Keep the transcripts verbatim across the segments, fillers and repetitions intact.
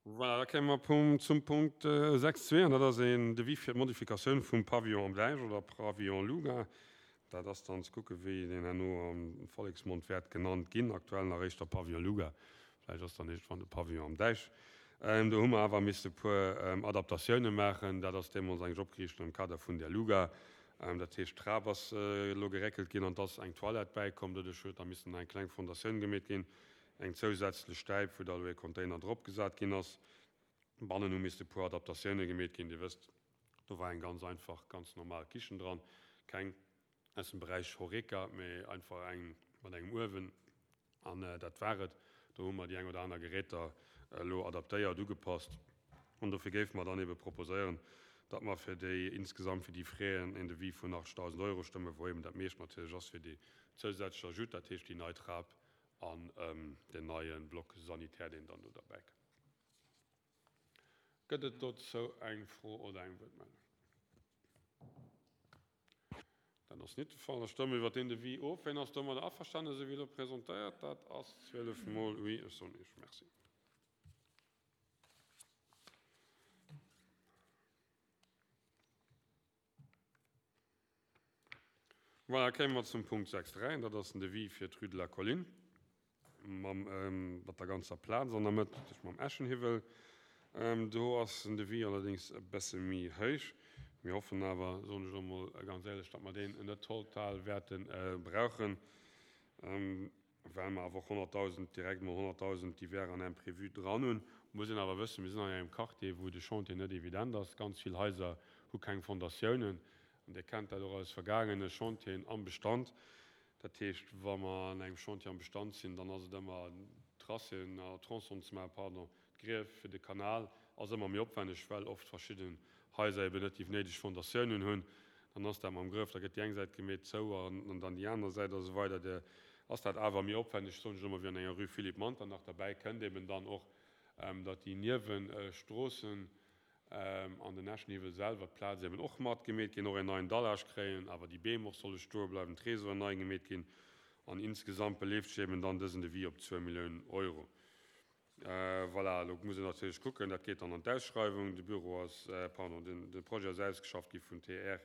Voilà, da kéime mer zum Punkt sechs zwee, an dat ass een Devis fir d'Modifikatioun vum Pavillon am Däich oder Pavillon Luga. Dat ass dann ze kucken, wéi deen herno am Volleksmond wäert genannt ginn. Aktuell nach éischter Pavillon Luga, vläicht ass dann iergendwann de Pavillon am Däich. Do hu mer awer misste e puer Adaptatioune maachen. Dat ass deemools eigentlech opgeriicht am Kader vun der Luga. Dat heescht, d'Trap ass elo geréckelt ginn an et ass eng Toilette bäikomm. Doduerch huet da missen eng kleng Fondatioun gemeet ginn, eng zousätzlech Stäip, wou da elo ee Container drop gesat ginn ass. Bannen hu misste e puer Adaptatioune gemeet ginn. Dir wësst, do war eng ganz einfach, ganz normal Kichen dran, keng aus dem Beräich Horeca, mee einfach eng mat engem Uewen an dat war et. Do hu mer déi eng oder aner Geräter elo adaptéiert, ugepasst an dofir géife mer dann ebe proposéieren, datt mer fir déi insgesamt fir déi Fräen en Devis vun achtzegdausend Euro stëmmen, wou eben dat meescht natierlech ass fir déi zousätzlech Ajoute, dat heescht déi nei Trap an deen neie Bloc sanitaire, deen dann do derbäi kënnt. Gëtt et dozou eng Fro oder eng Wuertmeldung? Dat ass net de Fall. Da stëmme mer iwwert deen Devis of. Wien ass domadder averstanen, esou wéi elo presentéiert? Dat ass zwielef mol oui. Ech soen Iech Merci. Voilà, kéime mer zum Punkt sechs dräi, an dat ass den Devis fir d'Rue de la Colline mam, mat der ganzer Plaz an der Mëtt, natierlech mam Eschenhiwwel. Do ass den Devis allerdéngs e bësse méi héich. Mir hoffen awer, soen ech elo emol ganz éierlech, datt mer deen net total wäerte brauchen, well mer awer och honnertdausend, direkt emol honnertdausend divers an imprévus dran hunn. Muss een awer wëssen, mir sinn an engem Quartier, wou de Chantier net evident ass. Ganz vill Haiser hu keng Fondatiounen. An Dir kennt dat och aus vergaangene Chantieren am Bestand. Dat heescht, wa mer an engem Chantier am Bestand sinn, dann ass et ëmmer Tracéen, Tronçonen ze maachen, pardon, d'Grief fir de Kanal ass ëmmer méi opwänneg, well oft verschidden Haiser eben net déi néideg Fondatiounen hunn. Dann ass dat mam Grëff, da gëtt déi eng Säit gemeet zou an dann déi aner Säit a sou weider. Da ass dat awer méi opwänneg, soen ech elo mol, wéi an enger Rue Philippe Manternach. Derbäi kënnt eben dann och, datt déi Niewestroossen an den Eschenhiwwel selwer, d'Plaz eben och mat gemeet ginn, och en neien Dallage kréien, awer déi Beem och solle stoe bleiwen, d'Réseauen nei gemeet ginn an insgesamt beleeft sech eben dann dësen Devis op zwou Milliounen Euro. Voilà, elo muss een natierlech kucken, dat geet dann an d'Ausschreiwung. De Büro ass, pardon, den de Projet ass ausgeschafft gi vun T R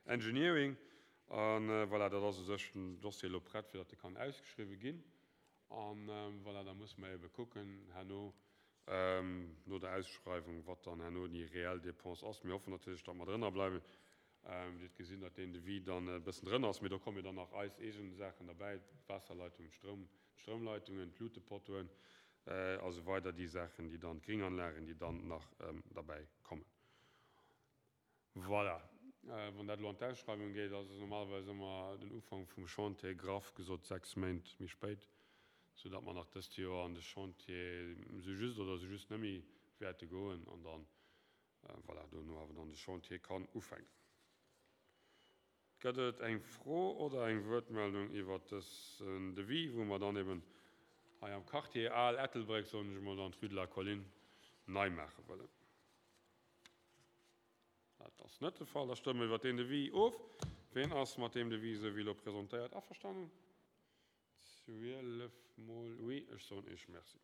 Engineering a voilà, dat ass u sech den Dossier elo prett, fir datt e kann ausgeschriwwe ginn. A voilà, da musse mer ebe kucken herno no der Ausschreiwung, wat dann herno déi reell Dépense ass. Mir hoffen natierlech, datt mer drënner bleiwen. Dir hutt gesinn, datt deen Devis dann e bëssen drënner ass, mee do komme jo dann nach eis eegen Saachen derbäi, d'Waasserleitungen, d'Stroum, d'Stroumleitungen, d'Luutepottoen a sou weider, déi Saachen, déi dann, d'Gringanlagen, déi dann nach derbäi kommen. Voilà. Wann dat elo an d'Ausschreiwung geet, ass et normalerweis ëmmer den Ufank vum Chantier, graff gesot sechs Méint méi spéit, soudatt mer nach dëst Joer an de Chantier sou just oder sou just net méi wäerte goen an dann, voilà, dono awer dann de Chantier kann ufänken. Gëtt et eng Fro oder eng Wuertmeldung iwwert dësen Devis, wou mer dann eben hei am Quartier Al Ettelbréck, soen ech emol, dann d'Rue de la Colline nei maache wëllen? Dat ass net de Fall. Da stëmme mer iwwert deen Devis of. Ween ass mat deem Devis, esou wéi elo presentéiert, averstanen? Zwielef mol oui. Ech soen Iech Merci.